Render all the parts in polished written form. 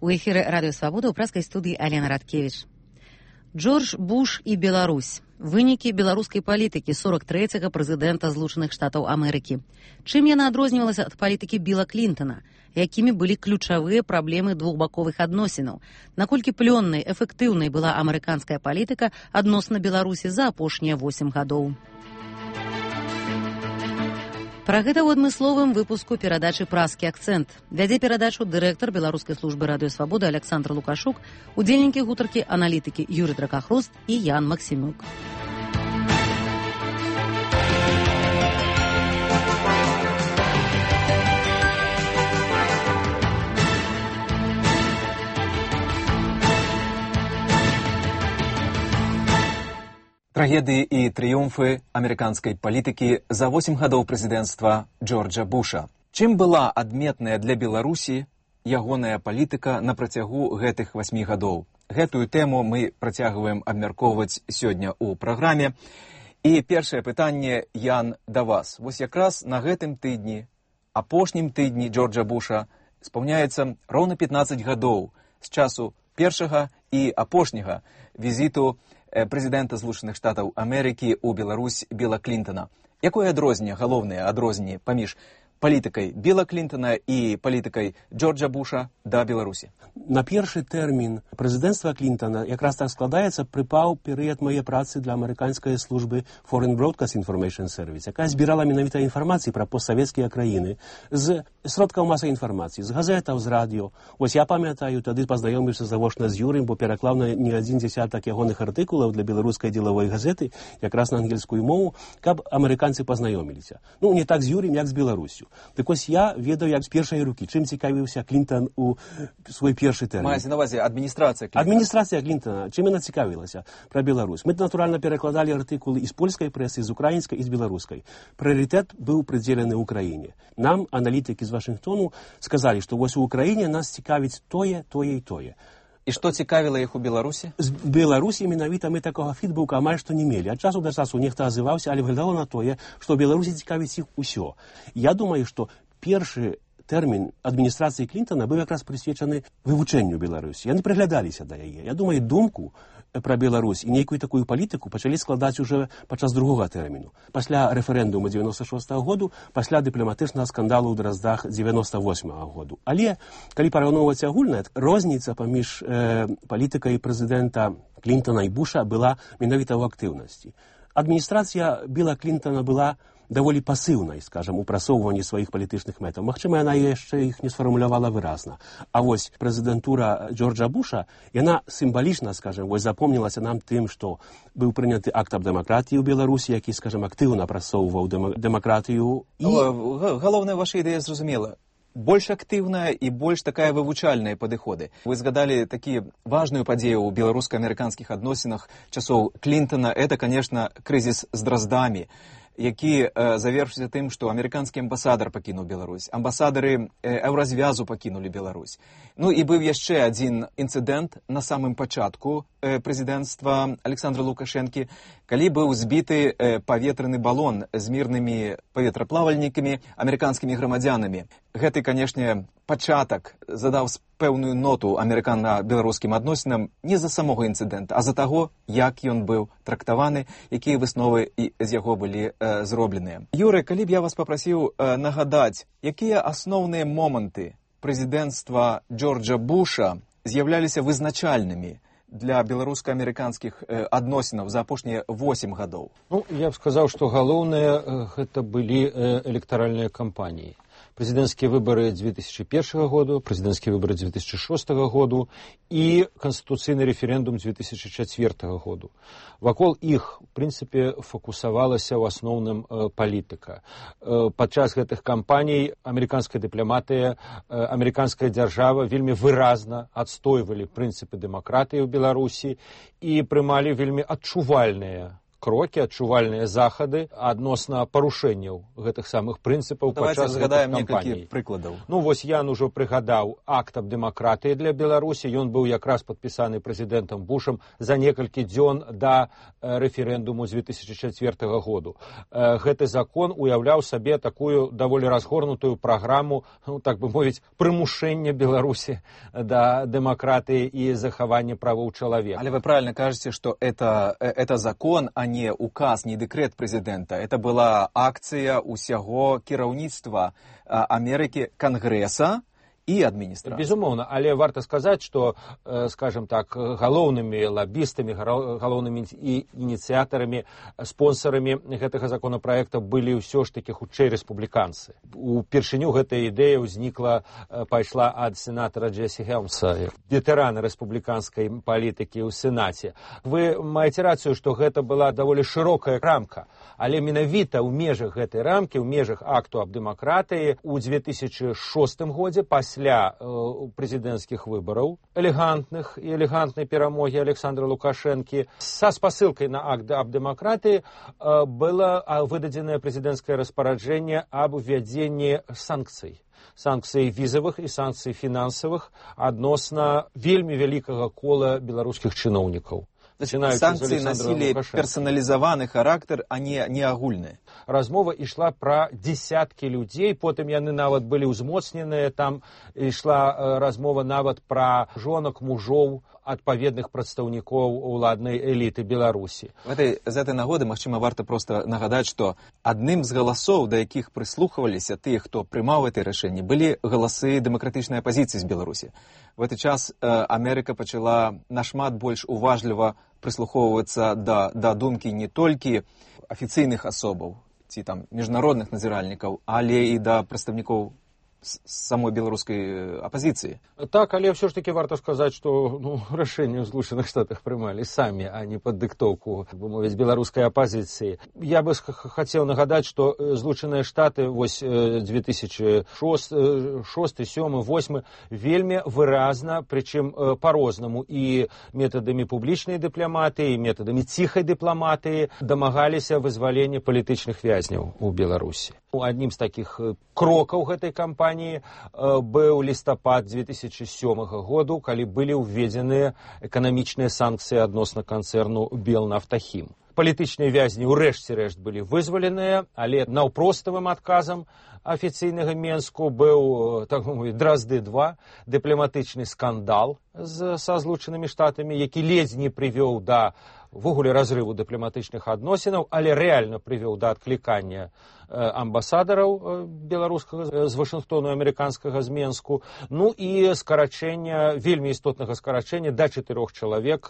У эфіры Радыё Свабода ў праскай студыі Алена Радкевіч. Джордж Буш і Беларусь. Вынікі беларускай палітыкі 43-го прэзідэнта Злучаных Штатаў Амерыкі. Чым яна адрознівалася ад палітыкі Біла Клінтона? Якімі былі ключавыя праблемы двухбаковых адносінаў? Наколькі плённай, эфектыўнай была амерыканская палітыка адносна Беларусі за апошнія 8 гадоў? Пра гэта ў адмысловым выпуску перадачы «Праскі акцэнт». Вядзе перадачу дырэктар беларускай службы Радыё Свабода Александр Лукашук, удзельнікі гутаркі аналітыкі Юрий Дракахрост і Ян Максімюк. Трагедыі і трыумфы амерыканскай палітыкі за 8 гадоў прэзідэнцтва Джорджа Буша. Чым была адметная для Беларусі ягоная палітыка на працягу гэтых 8 гадоў? Гэтую тэму мы працягваем абмяркоўваць сёння ў праграме. І першае пытанне, Ян, да вас. Вось якраз на гэтым тыдні, апошнім тыдні Джорджа Буша, спаўняецца роўна 15 гадоў з часу першага і апошняга візіту прэзідэнта Злучаных Штатаў Амерыкі ў Беларусь Біла Клінтона. Якое адрозненне, галоўнае адрозненне паміж палітыкай Біла Клінтона і палітыкай Джорджа Буша да Беларусі? На першы тэрмін прэзідэнцтва Клінтона якраз так складаецца, прыпаў перыяд мае працы для амерыканскай службы Foreign Broadcast Information Service, якая збірала менавіта інфармацыі пра постсавецкія краіны з сродкаў масавай інфармацыі, з газетаў, з радыё. Вось я памятаю, тады пазнаёміўся завочна з Юрым, бо пераклаў на не адзін дзесятак ягоных артыкулаў для беларускай дзелавой газеты, якраз на ангельскую мову, каб амерыканцы пазнаёміліся. Ну, не так з Юрым, як з Беларуссю. Так ось я ведаю, як з першай рукі, чым цікавіўся Клінтон у свой першы тэрмін. Маецца на ўвазе адміністрацыя Клінтона. Адміністрацыя Клінтона, чым яна цікавілася пра Беларусь. Мы, натуральна, перакладалі артыкулы і з польскай прэсы, з украінскай і з беларускай. Прыярытэт быў прыдзелены ўкраіне. Нам, аналітыкі з Вашынгтону, сказалі, што вось у Украіне нас цікавіць тое, тое і тое. І што цікавіла іх у Беларусі? З Беларусі менавіта мы такога фідбука амаль што не мелі. Ад часу да часу нехта азываўся, але выглядала на тое, што ў Беларусі цікавіць іх усё. Я думаю, што першы тэрмін адміністрацыі Клінтона быў якраз прысвечаны вывучэнню Беларусі. Яны прыглядаліся да яе. Я думаю, думку пра Беларусь і нейкую такую палітыку пачалі складаць уже падчас другога тэрміну. Пасля рэферэндуму 96-го году, пасля дыпламатычнага скандалу ў Драздах 98-го году. Але, калі параўноўваць агульна, розніца паміж палітыкай прэзідэнта Клінтона і Буша была менавіта ў актыўнасці. Адміністрацыя Біла Клінтона была даволі пасыўнай, скажам, у прасоўванні сваіх палітычных мэтаў. Магчыма, яна яшчэ іх не сфармулявала выразна. А вось прэзідэнтура Джорджа Буша, яна сімвалічна, скажам, вось запомнілася нам тым, што быў прыняты акт аб дэмакратыі ў Беларусі, які, скажам, актыўна прасоўваў дэмакратыю. Галоўная ваша ідэя зразумела. Больш актыўная і больш такая вывучальная падыходы. Вы згадалі такі важную падзею ў беларуска-амерыканскіх адносінах часоў Клінтона. Это, конечно, крызіс з Драздамі, які завершыўся тым, што амерыканскі амбасадар пакінуў Беларусь, амбасадары Еўразвязу пакінулі Беларусь. Ну і быў яшчэ адзін інцыдэнт на самым пачатку прэзідэнцтва Александра Лукашэнкі, калі быў збіты паветраны балон з мірнымі паветраплавальнікамі, амерыканскімі грамадзянамі. Гэты, канешне, пачатак задаў пэўную ноту амерыкана-беларускім адносінам не з-за самога інцыдэнта, а з-за таго, як ён быў трактаваны, якія высновы з яго былі зробленыя. Юры, калі б я вас папрасіў нагадаць, якія асноўныя моманты прэзідэнцтва Джорджа Буша з'яўляліся вызначальнымі для беларуска-амерыканскіх адносінаў за апошнія 8 гадоў? Ну, я б сказаў, што галоўнае гэта былі электаральныя кампаніі. Прэзідэнцкія выбары 2001 году, прэзідэнцкія выбары 2006 году і канстытуцыйны рэферэндум 2004 году. Вакол іх, в прынцыпе, фокусавалася ў асноўным палітыка. Падчас гэтых кампаній амерыканская дыпламатыя, амерыканская дзяржава вельмі выразна адстойвалі прынцыпы дэмакратыі ў Беларусі і прымалі вельмі адчувальныя крокі, адчувальныя захады адносна парушэнняў гэтых самых прынцыпаў падчас гэтых кампаній. Давайте некалькі прыкладаў. Ну, вось Ян ужо прыгадаў акт аб дэмакратыі для Беларусі. Ён быў якраз падпісаны прэзідэнтам Бушам за некалькі дзён да рэферэндуму з 2004 году. Гэты закон уяўляў сабе такую даволі разгорнутую праграму, ну, так бы мовіць, прымушэння Беларусі да дэмакратыі і захавання правоў чалавека. Але вы правильно кажете, что это закон, а не указ, не декрет президента. Это была акция усяго кіраўніцтва Америки, Конгресса и администрации. Безумоўна, але варта сказаць, што, скажем так, галоўнымі лабістамі, галоўнымі ініцыятарамі, спонсорамі гэтага законапраекта былі ўсё ж такі хутчэй рэспубліканцы. Упершыню гэтая ідэя ўзнікла, пайшла ад сенатара Джесси Хелмса, ветэрана рэспубліканскай палітыкі ў Сенаце. Вы маеце рацыю, што гэта была даволі шырокая рамка, але менавіта ў межах гэтай рамкі, ў межах акту аб дэмакратыі ў 2006 годзе пасля прэзідэнцкіх выбараў, элегантнай перамогі Александра Лукашэнкі, са спасылкай на акт аб дэмакратыі было выдадзенае прэзідэнцкае распараджэнне аб увядзенні санкцый візавых і санкцый фінансавых адносна вельмі вялікага кола беларускіх чыноўнікаў. Санкции носили персонализованный характер, а не агульные. Размова ішла пра дзесяткі людзей, потым яны нават былі ўзмоцненыя, там ішла размова нават пра жонак, мужоў, адпаведных прадстаўнікоў уладнай эліты Беларусі. З этой нагоды, магчыма, варта просто нагадаць, што адным з галасоў, да якіх прыслухваліся тыя, хто прымаў гэтае рашэнне, былі галасы дэмакратычнай апазіцыі з Беларусі. В этот час Америка пачала нашмат больш уважліва прыслухоўвацца да думкі не толькі афіцыйных асобаў ці там міжнародных назіральнікаў, але і да прадстаўнікоў самой беларускай апазіцыі. Так, але ўсё ж таки варта сказаць, што рашэнне ў Злучаных Штатах прымалі самі, а не пад дыктоўку, бы мовіць, беларускай апазіцыі. Я бы хацеў нагадаць, што Злучаныя Штаты вось 2006, 2007, 2008 вельмі выразна, прычым па-рознаму, і метадамі публічнай дыпламатыі, і метадамі ціхай дыпламатыі дамагаліся вызвалення палітычных вязняў у Беларусі. Аднім з такіх крокаў гэтай кампаніі быў лістапад 2007 году, калі былі ўведзеныя эканамічныя санкцыі адносна канцэрну Белнафтахім. Палітычныя вязні ўрэшце рэшт былі вызваленыя, але наўпроставым адказам афіцыйнага Менску быў, так мовіць, Дразды-2, дыпламатычны скандал са Злучанымі Штатамі, які ледзь не прывёў да ввогуле разрыву дыпламатычных адносінаў, але рэальна прывёў да адклікання амбасадараў беларускага з Вашынгтону, амерыканскага з Менску, ну і скарачэння, вельмі істотнага скарачэння да 4 чалавек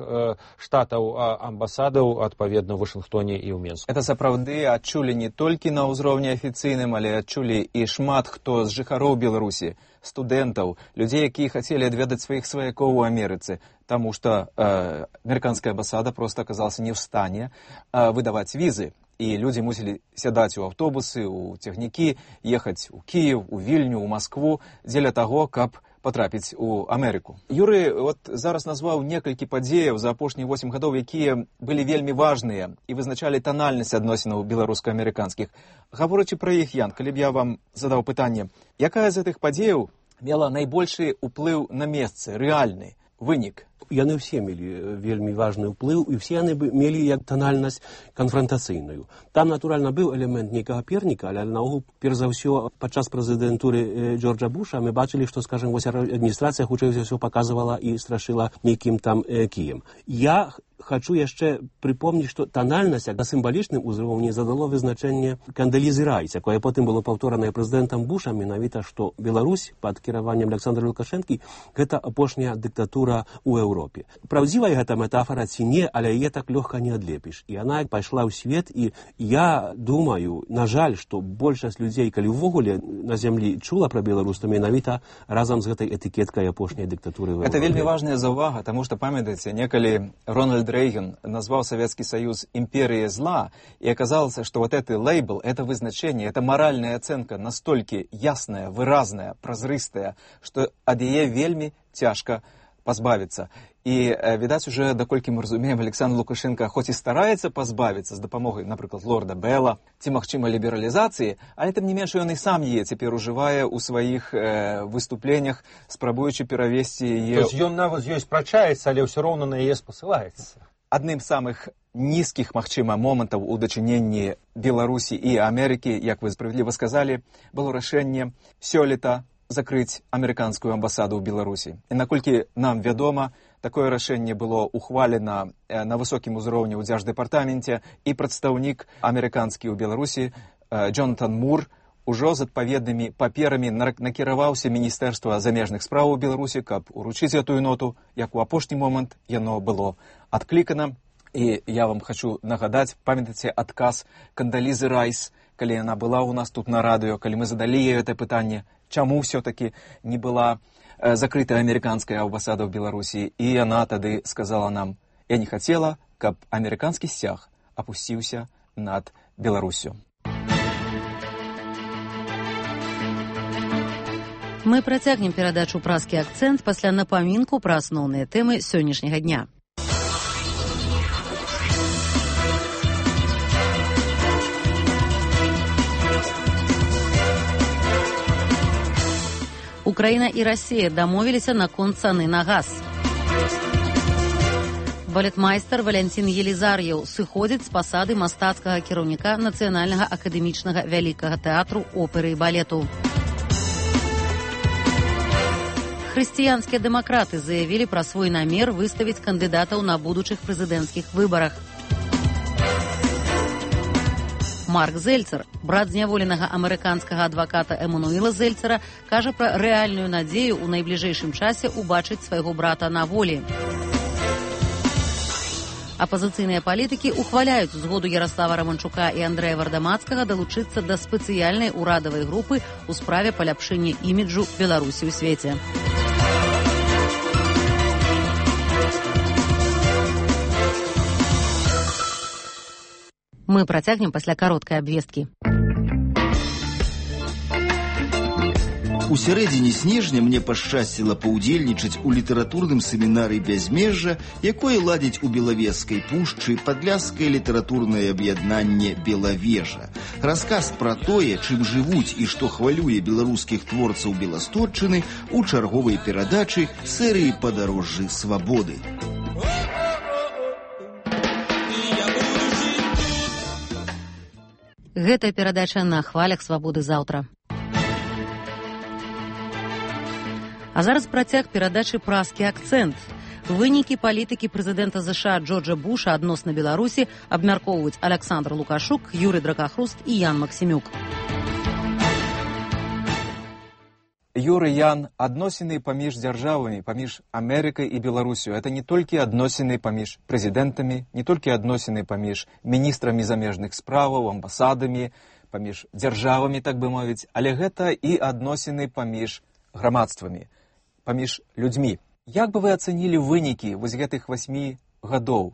штатаў амбасадаў адпаведна ў Вашынгтоне і ў Менску. Это сапраўды адчулі не толькі на ўзроўні афіцыйным, але адчулі і шмат хто з жыхароў Беларусі, студэнтаў, людзей, якія хацелі адведаць сваіх сваякоў у Амерыцы, таму што амерыканская амбасада проста аказалася не ў стане выдаваць візы. І людзі мусілі сядаць у аўтобусы, у цягнікі, ехаць у Кіев, у Вільню, у Маскву, дзеля таго, каб потрапіць у Амерыку. Юрый зараз назваў некалькі падзеяў за апошнія 8 гадоў, якія былі вельмі важныя і вызначалі танальнасць адносінаў беларуска-амерыканскіх. Гаворачы пра іх, Ян, калі б я вам задаў пытанне, якая з гэтых падзеяў мела найбольшы ўплыў на месцы, рэальны вынік? Яны ўсе мелі вельмі важны ўплыў, і ўсе яны мелі як танальнасць канфрантацыйную. Там, натуральна, быў элемент нейкага перніка, але наогул, перш за ўсё, падчас прэзідэнтуры Джорджа Буша мы бачылі, што, скажем, вось адміністрацыя хутчэй за ўсё паказвала і страшыла нейкім там кіем. Я хочу яшчэ припомніць, што танальнасць на сімвалічным узроўні задало вызначэнне Кандалізы Райс, якое потым было паўторанае прэзідэнтам Бушам, менавіта, што Беларусь пад кіраваннем Александра Лукашэнкі гэта апошняя дыктатура ў Еўропе. Праўдзівая гэта метафора ці не, але яе так лёгка не адлепіш. І яна пайшла ў свет, і я думаю, на жаль, што большасць людзей, калі ўвогуле на зямлі чула пра Беларусь, то менавіта разам з гэтай этыкеткай апошняй дыктатуры ў Еўропе. Это вельмі важная заўвага, таму што, памятаеце, некалі Рональд Рейган назвал Советский Союз империей зла, и оказалось, что вот этот лейбл, это вызначение, это моральная оценка настолько ясная, выразная, прозрыстая, что ад яе вельми тяжко пазбавіцца. І, відаць, уже, даколькі мы разумеем, Александр Лукашенко хоць і стараецца пазбавіцца з дапамогай, напрыклад, лорда Белла, ці, магчыма, лібералізацыі, але, тым не менш, ён і сам яе цяпер ужывае ў сваіх выступленнях, спрабуючы перавесці яе... То есть ён нават з ёй спрачаецца, але ўсё роўна на яе спасылаецца. Адным з самых нізкіх, магчыма, момантаў у дачыненні Беларусі і Амерыкі, як вы справядліва сказалі, было рашэнне сёлета закрыць амерыканскую амбасаду ў Беларусі. І наколькі нам вядома, такое рашэнне было ухвалена на высокім узроўні ў Дзярждэпартаменце, і прадстаўнік амерыканскі ў Беларусі Джонатан Мур ужо з адпаведнымі паперамі накіраваўся Міністэрства замежных спраў у Беларусі, каб уручыць гэтую ноту, як у апошні момант яно было адклікана. І я вам хочу нагадаць, памятаеце адказ Кандалізы Райс, калі яна была ў нас тут на радыё, калі мы задалі ёй гэта пытанне, чаму ўсё-таки не была закрытая амерыканская амбасада ў Беларусі. І яна тады сказала нам: я не хацела, каб амерыканскі сцяг апусціўся над Беларусю. Мы працягнем перадачу «Празкі акцэнт» пасля напамінку пра асноўныя тэмы сённяшняга дня. Украіна і Расія дамовіліся наконт цаны на газ. Балетмайстар Валянцін Елізар'еў сыходзіць з пасады мастацкага кіраўніка Нацыянальнага акадэмічнага вялікага тэатру оперы і балету. Хрысціянскія дэмакраты заявілі пра свой намер выставіць кандыдатаў на будучых прэзідэнцкіх выбарах. Марк Зельцер, брат зняволенага амерыканскага адваката Эмануэла Зельцера, кажа пра рэальную надзею ў найбліжэйшым часе ўбачыць свайго брата на волі. Апазіцыйныя палітыкі ухваляюць згоду Яраслава Раманчука і Андрэя Вардамацкага далучыцца да спецыяльнай урадавай групы ў справе паляпшэння іміджу Беларусі ў свеце. Мы працягнем пасля кароткай абвесткі. У сярэдзіне снежня мне пашчасціла паўдзельнічаць у літаратурным семінары «Бязмежжа», якое ладзіць у Белавежскай пушчы падляшскае літаратурнае аб'яднанне «Белавежа». Расказ пра тое, чым жывуць і што хвалюе беларускіх творцаў Беластотчыны у чарговай перадачы серыі «Падарожжы свабоды». Гэтая перадача на хвалях свабоды заўтра. А зараз працяг перадачы «Празкі акцэнт». Вынікі палітыкі прэзідэнта ЗША Джорджа Буша адносна Беларусі абмяркоўваюць Александр Лукашук, Юрый Дракахруст і Ян Максімюк. Юрый, Ян, адносіны паміж дзяржавамі, паміж Амерыкай і Беларусю. Это не толькі адносіны паміж прэзідэнтамі, не толькі адносіны паміж міністрамі замежных справаў, амбасадамі, паміж дзяржавамі, так бы мовіць, але гэта і адносіны паміж грамадствамі, паміж людзьмі. Як бы вы ацэнілі вынікі вось гэтых 8 гадоў?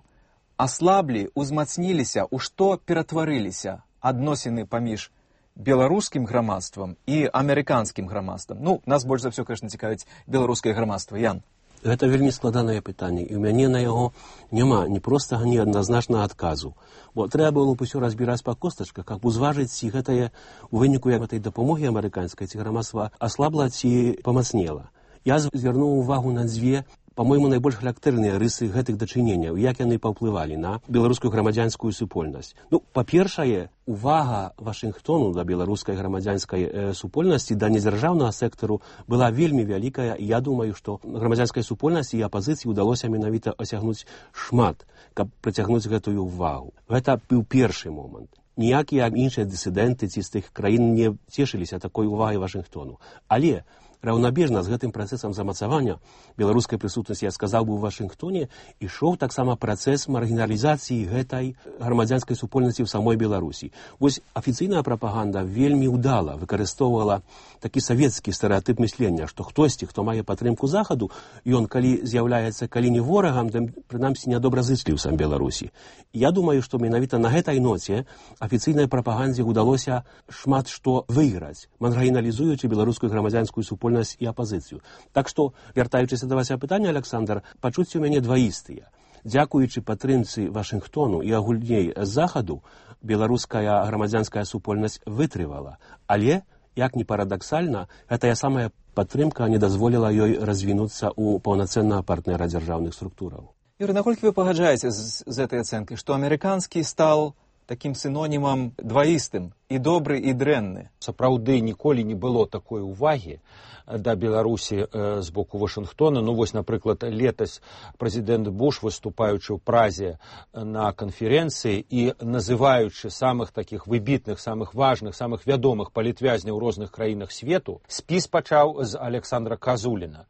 Аслаблі, узмацніліся, у што ператварыліся адносіны паміж беларускім грамадствам і амерыканскім грамадствам? Ну, нас больш за ўсё, конечно, цікавіць беларускае грамадства. Ян. Гэта вельмі складанае пытанне, і ў мяне на яго няма ні простага, ні адназначнага адказу. Бо трэба было б усё разбіраць па костачках, каб узважыць, ці гэтае у выніку гэтай дапамогі амерыканскай, ці грамадства аслабла, ці памацнела. Я звярнуў увагу на дзве, па-мойму, найбольш характэрныя рысы гэтых дачыненняў, як яны паўплывалі на беларускую грамадзянскую супольнасць. Ну, па-першае, увага Вашынгтону да беларускай грамадзянскай супольнасці, да недзяржаўнага сектару была вельмі вялікая, і я думаю, што грамадзянскай супольнасці і апазіцыі ўдалося менавіта асягнуць шмат, каб прыцягнуць гэтую увагу. Гэта быў першы момант. Ніякія іншыя дысідэнты ці з тых краін не цешыліся такой увагай Вашынгтону. Але раўнабежна з гэтым працэсам замацавання беларускай прысутнасці, я сказаў бы, у Вашынгтоне ішоў таксама працэс маргіналізацыі гэтай грамадзянскай супольнасці ў самой Беларусі. Вось афіцыйная прапаганда вельмі ўдала выкарыстоўвала такі савецкі стэрэатып мыслення, што хтосьці, хто мае падтрымку захаду, ён калі з'яўляецца калі не ворагам, то прынамсі нядобразычліў сам Беларусі. Я думаю, што менавіта на гэтай ноце афіцыйнай прапагандзе ўдалося шмат што выйграць, маргіналізуючы беларускую грамадзянскую супольнасць супольнасць і апазіцыю. Так што, вяртаючыся да вашага пытання, Александр, пачуцці ў мяне дваістыя. Дзякуючы падтрымцы Вашынгтону і агульней з захаду, беларуская грамадзянская супольнасць вытрывала. Але, як ні парадаксальна, гэтая самая падтрымка не дазволіла ёй развінуцца ў паўнацэннага партнера дзяржаўных структураў. Юрий, наколькі вы пагаджаеце з этой ацэнкай, што амерыканскі стал таким синонімам дваістым, і добры, і дрэнны? Сапраўды ніколі не было такой увагі да Беларусі з боку Вашынгтона. Ну вось, напрыклад, летась прэзідэнт Буш, выступаючы ў Празе на канферэнцыі і называючы самых такіх выбітных, самых важных, самых вядомых палітвязняў у розных краінах свету, спіс пачаў з Александра Казуліна.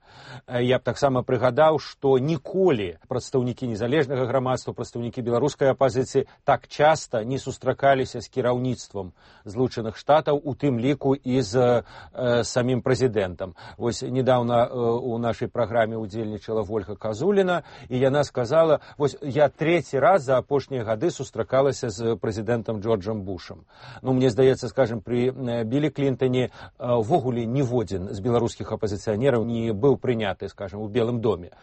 Я б таксама прыгадаў, што ніколі прадстаўнікі незалежнага грамадства, прадстаўнікі беларускай апазіцыі так часта не сустракаліся з кіраўніцтвам Злучаных Штатаў, у тым ліку і з самім прэзідэнтам. Вось недавно у нашай праграме удзельнічала Вольга Казуліна, і яна сказала, вось я трэці раз за апошнія гады сустракалася з прэзідэнтам Джорджам Бушам. Ну, мне здаецца, скажем, при Білі Клінтоне ввогуле ніводзін з беларускіх апазіцыянераў не быў прыняты, скажем, у Белым доме.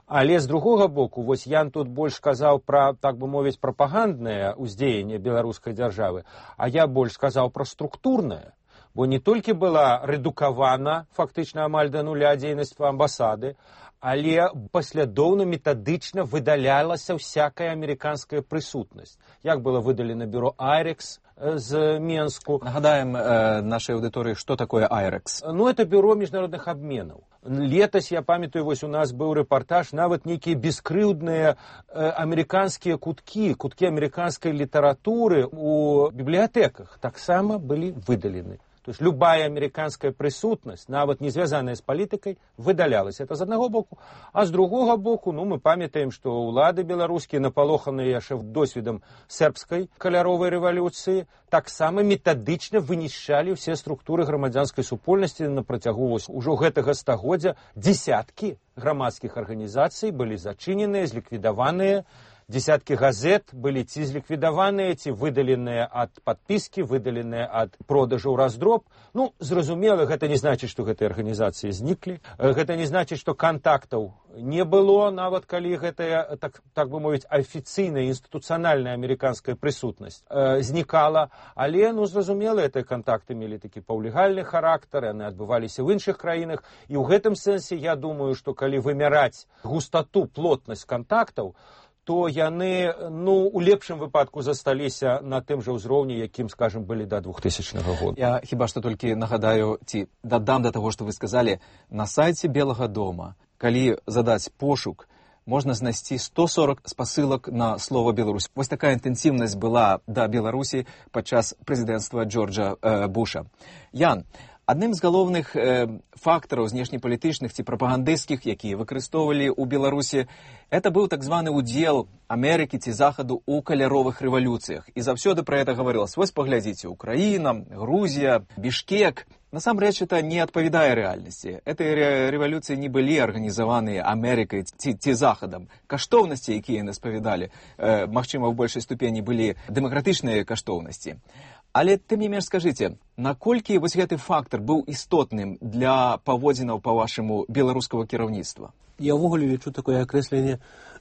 Але з другога боку, вось Ян тут больш сказаў пра, так бы мовіць, прапаганднае ўздзеянне беларускай дзяржавы, а я больш сказаў пра структурнае. Бо не толькі была рэдукавана фактычна амаль да нуля дзейнасць амбасады, але паслядоўна метадычна выдалялася всякая амерыканская прысутнасць. Як было выдалена бюро Айрекс з Менску. Нагадаем нашай аўдыторыі, што такое Айрекс. Ну, это бюро міжнародных абменаў. Летась, я памятаю, вось у нас быў рэпартаж, нават нейкія бескрыўдныя амерыканскія куткі амерыканскай літаратуры у бібліятэках таксама былі выдалены. То есть любая американская присутность, нават не звязаная с политикой, выдалялась. Это з одного боку. А з другого боку, ну, мы памятаем, что улады беларускія, напалоханыя яшчэ досведам сербской каляровой рэвалюцыі, таксама метадычна вынішчалі ўсе структуры грамадзянскай супольнасці на працягу ўжо гэтага стагоддзя. Десяткі грамадскіх арганізацый былі зачыненыя, зліквідаваныя. Десяткі газет былі ці зліквідаваныя, ці выдаленыя ад падпіскі, выдаленыя ад продажу ў раздроб. Ну, зразумела, гэта не значыць, што гэтыя арганізацыі зніклі. Гэта не значыць, што кантактаў не было, нават калі гэтая, так бы мовіць, афіцыйная, інстытуцыянальная амерыканская прысутнасць знікала. Але, ну, зразумела, гэтыя кантакты мелі такі паўлегальны характар, яны адбываліся в іншых краінах. І ў гэтым сэнсе я думаю, што калі вымяраць густату, плотнасць кантактаў, то яны, ну, у лепшым выпадку засталіся на тым жа ўзроўні, якім, скажем, былі да 2000 года. Я хіба што толькі нагадаю, ці дадам да таго, што вы сказалі, на сайце Белага дома, калі задаць пошук, можна знайсці 140 спасылак на слова Беларусь. Вось такая інтэнсіўнасць была да Беларусі падчас прэзідэнцтва Джорджа Буша. Ян, адным з галоўных фактараў знешнепалітычных ці прапагандысцкіх, якія выкарыстоўвалі ў Беларусі, это быў так званы удзел Амерыкі ці Захаду ў каляровых рэвалюцыях. І заўсёды пра гэта гаварылася. Вось паглядзіце, Украіна, Грузія, Бішкек. Насамрэч, это не адпавядае рэальнасці. Гэтыя рэвалюцыі не былі арганізаваныя Амерыкай ці Захадам. Каштоўнасці, якія яны спавядалі, магчыма, ў большай ступені былі дэмакратычныя каштоўнасці. Але, тым не менш, скажыце, наколькі вось гэты фактар быў істотным для паводзінаў, па-вашаму, беларускага кіраўніцтва? Я ўвогуле лічу такое акрэсленне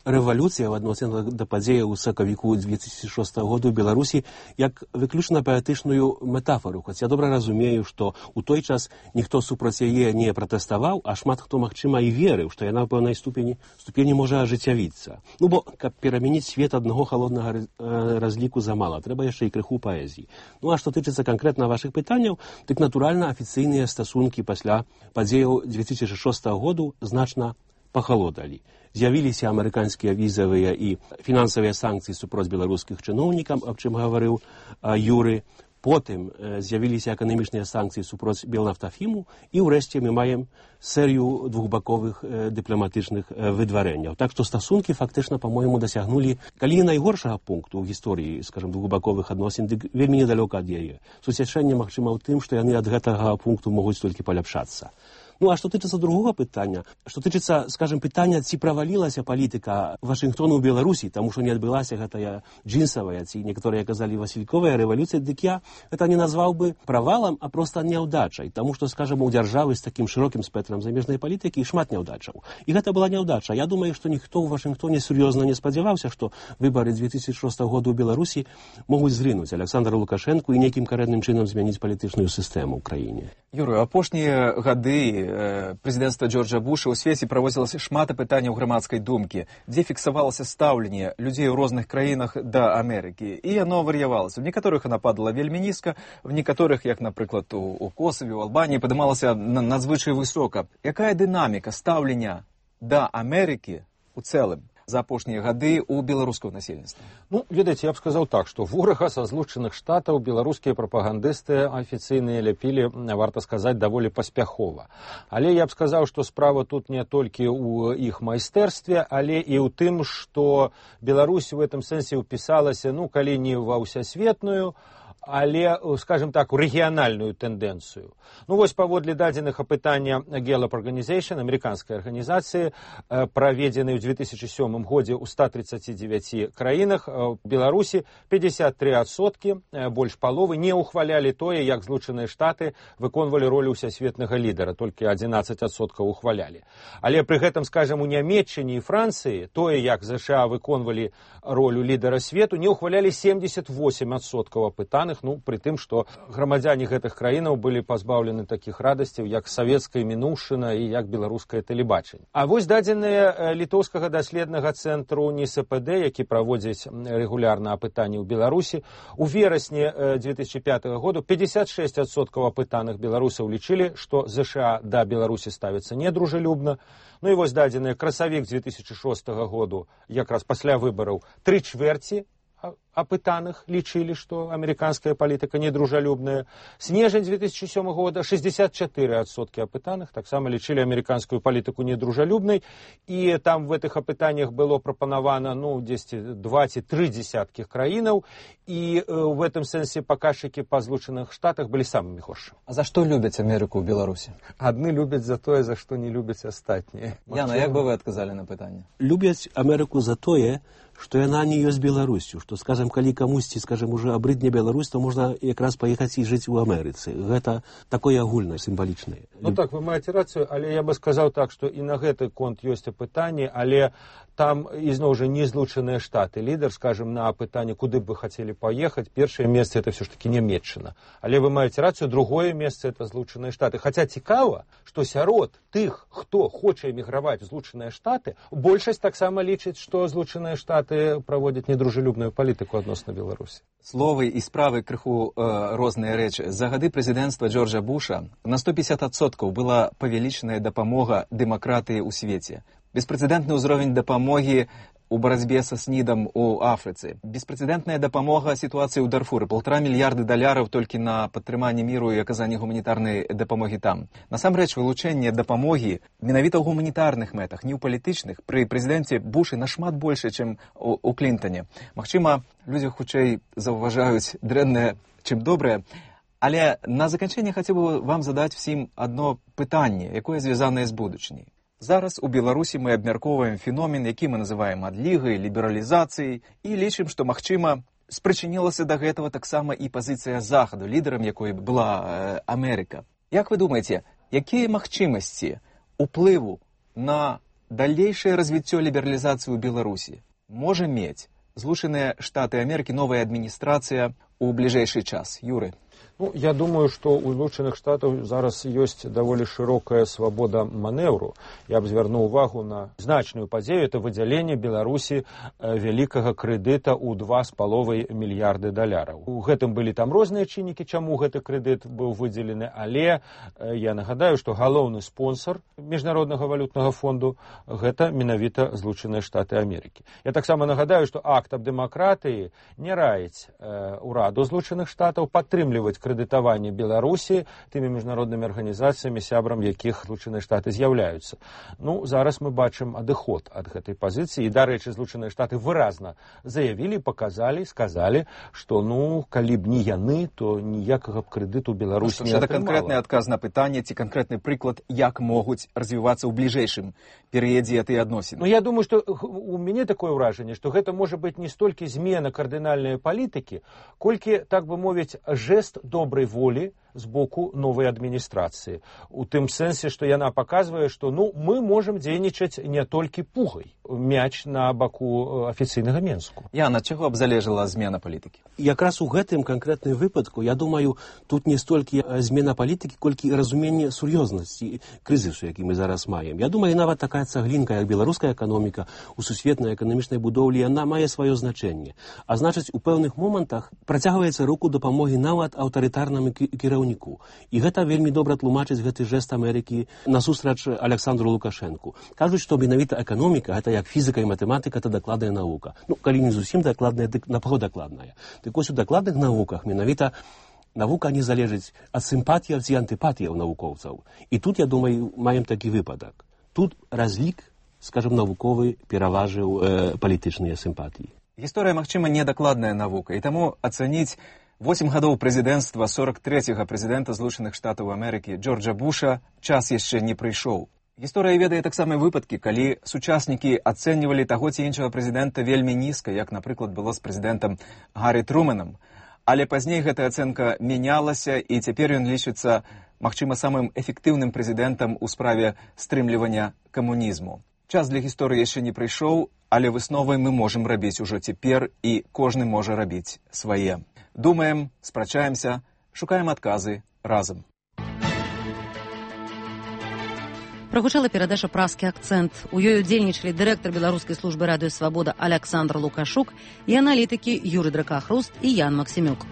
рэвалюцыя в адносінах да падзеяў у сакавіку 2006 году ў Беларусі як выключна паэтычную метафору. Хоць я добра разумею, што ў той час ніхто супраць яе не пратэставаў, а шмат хто, магчыма, і верыў, што яна ў пэўнай ступені можа ажыццявіцца. Ну, бо, каб перамяніць свет аднаго халоднага разліку замала, трэба яшчэ і крыху паэзіі. Ну, а што тычыцца канкрэтна вашых пытанняў, дык, натуральна, афіцыйныя стасункі пасля падзеяў 2006 году значна пахалодалі. З'явіліся амерыканскія візавыя і фінансавыя санкцыі супроць беларускіх чыноўнікаў, аб чым гаварыў Юры. Потым з'явіліся эканамічныя санкцыі супроць Белнафтафіму, і ўрэшце мы маем серыю двухбаковых дыпламатычных выдварэнняў. Так што стасункі фактычна, па-мойму, дасягнулі, калі не найгоршага пункту ў гісторыі, скажем, двухбаковых адносін, дык вельмі недалёка ад яе. Суцяшэнне, магчыма, ў тым, што яны ад гэтага пункту могуць толькі паляпшацца. Ну, а што тычыцца другога пытання, што тычыцца, скажем, пытання, ці правалілася палітыка Вашынгтона ў Беларусі, таму што не адбылася гэтая джинсавая, ці некаторыя казалі васільковая рэвалюцыя, дык я гэта не назваў бы правалам, а проста няўдачай, таму што, скажем, у дзяржавы з такім шырокім спектрам замежнай палітыкі шмат няўдачаў. І гэта была няўдача. Я думаю, што ніхто ў Вашынгтоне сур'ёзна не спадзяваўся, што выбары 2006 года ў Беларусі могуць зрынуць Александра Лукашэнку і нейкім карэнным чынам змяніць палітычную сістэму ў краіне. Юрый, апошнія гады прэзідэнцтва Джорджа Буша ў свеце праводзілася шмат апытанняў грамадскай думкі, дзе фіксавалася стаўленне людзей у розных краінах да Амерыкі. І яно вар'явалася. В некаторых яна падала вельмі нізка, в некаторых, як, напрыклад, у Косаве, у Албаніі, падымалася надзвычай высока. Якая дынаміка стаўлення да Амерыкі у цэлым за апошнія гады ў беларускага насельніцтва? Ну, ведаеце, я б сказаў так, што ворага са Злучаных Штатаў беларускія прапагандысты афіцыйныя ляпілі, варта сказаць, даволі паспяхова. Але я б сказаў, што справа тут не толькі ў іх майстэрстве, але і ў тым, што Беларусь у гэтым сэнсе ўпісалася, ну, калі не ва ўсясветную, але, скажем так, у рэгіянальную тэндэнцыю. Ну, вось паводле дадзеных апытання Gallup Organization, амерыканскай арганізацыі, праведзенай у 2007 годзе ў 139 краінах, Беларусі 53%, больш паловы, не ухвалялі тое, як Злучаныя Штаты выконвалі ролю ўсясветнага лідара, толькі 11% ухвалялі. Але пры гэтым, скажем, у Нямецчыне і Францыі тое, як ЗША выконвалі ролю лідара свету, не ухвалялі 78% апытаных, ну, пры тым, што грамадзяне гэтых краінаў былі пазбаўлены такіх радасцяў, як савецкая мінуўшчына і як беларускае тэлебачанне. А вось дадзеныя літоўскага даследнага цэнтру НИСПД, які праводзіць рэгулярна апытанні ў Беларусі, у верасні 2005 году 56% апытаных беларусаў лічылі, што ЗША да Беларусі ставіцца недружалюбна. Ну і вось дадзеныя красавік 2006 году, якраз пасля выбараў, 3/4 апытаных лічылі, што амерыканская палітыка недружалюбная. Снежань 2007 года 64% апытаных таксама лічылі амерыканскую палітыку недружалюбнай, і там в гэтых апытаннях было прапанавана, ну, 2-3 десяткіх краінаў, і в гэтым сэнсе паказчыкі па Злучаных Штатах былі самымі горшымі. А за што любяць Амерыку ў Беларусі? Адны любяць за тое, за што не любяць астатнія. Яна, як бы вы адказалі на пытанне? Любяць Амерыку за тое, што яна не ёсць Беларусю, што, скажем, калі камусьці, скажем, уже абрыдне Беларусь, то можна якраз паехаць і жыць у Амерыцы. Гэта такое агульнае, сімвалічнае. Ну так, вы маеце рацыю, але я бы сказаў так, што і на гэты конт ёсць апытанні, але там ізноў жа не Злучаныя Штаты. Лідар, скажем, на апытанне, куды б вы хацелі паехаць, першае месца это все ж таки Нямецчына. Але вы маеце рацыю, другое месца это Злучаныя Штаты. Хаця цікава, што сярод тых, хто хоча эміграваць у Злучаныя Штаты, большасць таксама лічыць, што Злучаныя Штаты праводзяць недружалюбную палітыку адносна Беларусі. Словы і справы крыху розныя рэчы. За гады прэзідэнцтва Джорджа Буша на 150% была павялічаная дапамога дэмакратыі ў свеце. Беспрэцэдэнтны ўзровень дапамогі у барацьбе са СНІДам у Афрыцы. Беспрэцэдэнтная дапамога сітуацыі ў Дарфуры. $1,5 мільярда толькі на падтрыманне міру і аказанне гуманітарнай дапамогі там. Насамрэч, вылучэнне дапамогі менавіта ў гуманітарных мэтах, не ў палітычных, пры прэзідэнце Бушы нашмат больше, чым у Клінтане. Магчыма, людзі хутчэй заўважаюць дрэннае, чым добрае. Але на заканчэнне хацеў бы вам задаць всім адно пытанне, якое звязанае з будучыняй. Зараз у Беларусі мы абмяркоўваем феномен, які мы называем адлігай, лібералізацыяй, і лічым, што, магчыма, спрычынілася да гэтага таксама і пазіцыя Захаду, лідарам якой была Амерыка. Як вы думаеце, якія магчымасці уплыву на далейшае развіццё лібералізацыі ў Беларусі можа мець Злучаныя Штаты Амерыкі, новая адміністрацыя у бліжэйшы час? Юры. Ну, я думаю, што у Злучаных Штатаў зараз ёсць даволі шырокая свабода манеўру. Я б звярнуў увагу на значную падзею, это выдзяленне Беларусі вялікага крэдыта ў $2,5 мільярды. У гэтым былі там розныя чыннікі, чаму гэты крэдыт быў выдзелены, але я нагадаю, што галоўны спонсор Міжнароднага валютнага фонду гэта менавіта Злучаныя Штаты Амерыкі. Я таксама нагадаю, што акт аб дэмакратыі не раіць ураду Злучаных Штатаў падтрымліваць акрэдытаванне Беларусі тымі міжнароднымі арганізацыямі, сябрам якіх Злучаныя Штаты з'яўляюцца. Ну, зараз мы бачым адыход ад гэтай пазіцыі. І, дарэчы, Злучаныя Штаты выразна заявілі, паказалі, сказалі, што, ну, калі б не яны, то ніякага б крэдыту Беларусь не атрымала. Гэта канкрэтны адказ на пытанне ці канкрэтны прыклад, як могуць развівацца ў бліжэйшым перыядзе гэтыя адносіны. Ну, я думаю, што у мяне такое ўражанне, што гэта можа быць не столькі змена кардынальнай палітыкі, колькі, так бы мовіць, жест добрай волі з боку новай адміністрацыі. У тым сэнсе, што яна паказвае, што ну, мы можам дзейнічаць не толькі пугай. Мяч на баку афіцыйнага Менску. Яна, ад чаго б залежала змена палітыкі? Якраз у гэтым канкрэтным выпадку, я думаю, тут не столькі змена палітыкі, колькі разуменне сур'ёзнасці крызісу, які мы зараз маем. Я думаю, нават такая цаглінка, як беларуская эканоміка, у сусветнай эканамічнай будоўлі, яна мае сваё значэнне. А значыць, у пэўных момантах працягваецца руку дапамогі нават аўтарытарнаму кіраўніку. І гэта вельмі добра тлумачыць гэты жэст Амерыкі насустрач Александру Лукашэнку. Кажуць, што менавіта эканоміка, гэта як фізіка і матэматыка, это дакладная навука. Ну, калі не зусім дакладная, дык напаго дакладная. Дык вось у дакладных навуках менавіта навука не залежыць ад сімпатіяў ці антыпатіяў навукоўцаў. І тут, я думаю, маем такі выпадак. Тут разлік, скажем, навуковы пераважыў палітычныя сімпатіі. Гісторыя, магчыма, недакладная навука, і таму ацаніць 8 гадоў прэзідэнцтва 43-га прэзідэнта Злучаных Штатаў Амерыкі Джорджа Буша час яшчэ не прыйшоў. Гісторыя ведае таксама выпадкі, калі сучаснікі ацэньвалі таго ці іншага прэзідэнта вельмі нізка, як, напрыклад, было з прэзідэнтам Гаррі Трумэнам. Але пазней гэтая ацэнка мянялася, і цяпер ён лічыцца, магчыма, самым эфектыўным прэзідэнтам у справе стрымлівання камунізму. Час для гісторыі яшчэ не прыйшоў, але высновы мы можам рабіць ужо цяпер, і кожны можа рабіць свае. Думаем, спрачаемся, шукаем адказы разам. Прагучала перадача «Празкі акцэнт». У ёй удзельнічалі дырэктар беларускай службы радыё «Свабода» Александр Лукашук і аналітыкі Юрый Дракахруст і Ян Максімюк.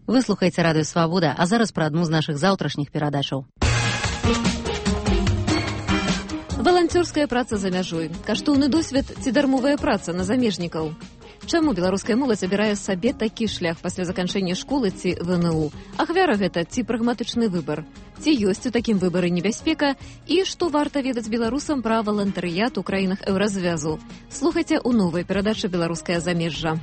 Вы слухаеце радыё «Свабода», а зараз пра адну з нашых заўтрашніх перадачаў. Валанцёрская праца за мяжой, каштоўны досвед ці дармовая праца на замежнікаў. Чаму беларуская моладзь абірае сабе такі шлях пасля заканчэння школы ці ВНУ? Ахвяра гэта ці прагматычны выбар? Ці ёсць у такім выбары небяспека? І што варта ведаць беларусам пра валантарыят у краінах еўразвязу? Слухайце ў новай перадачы «Беларускае замежжа».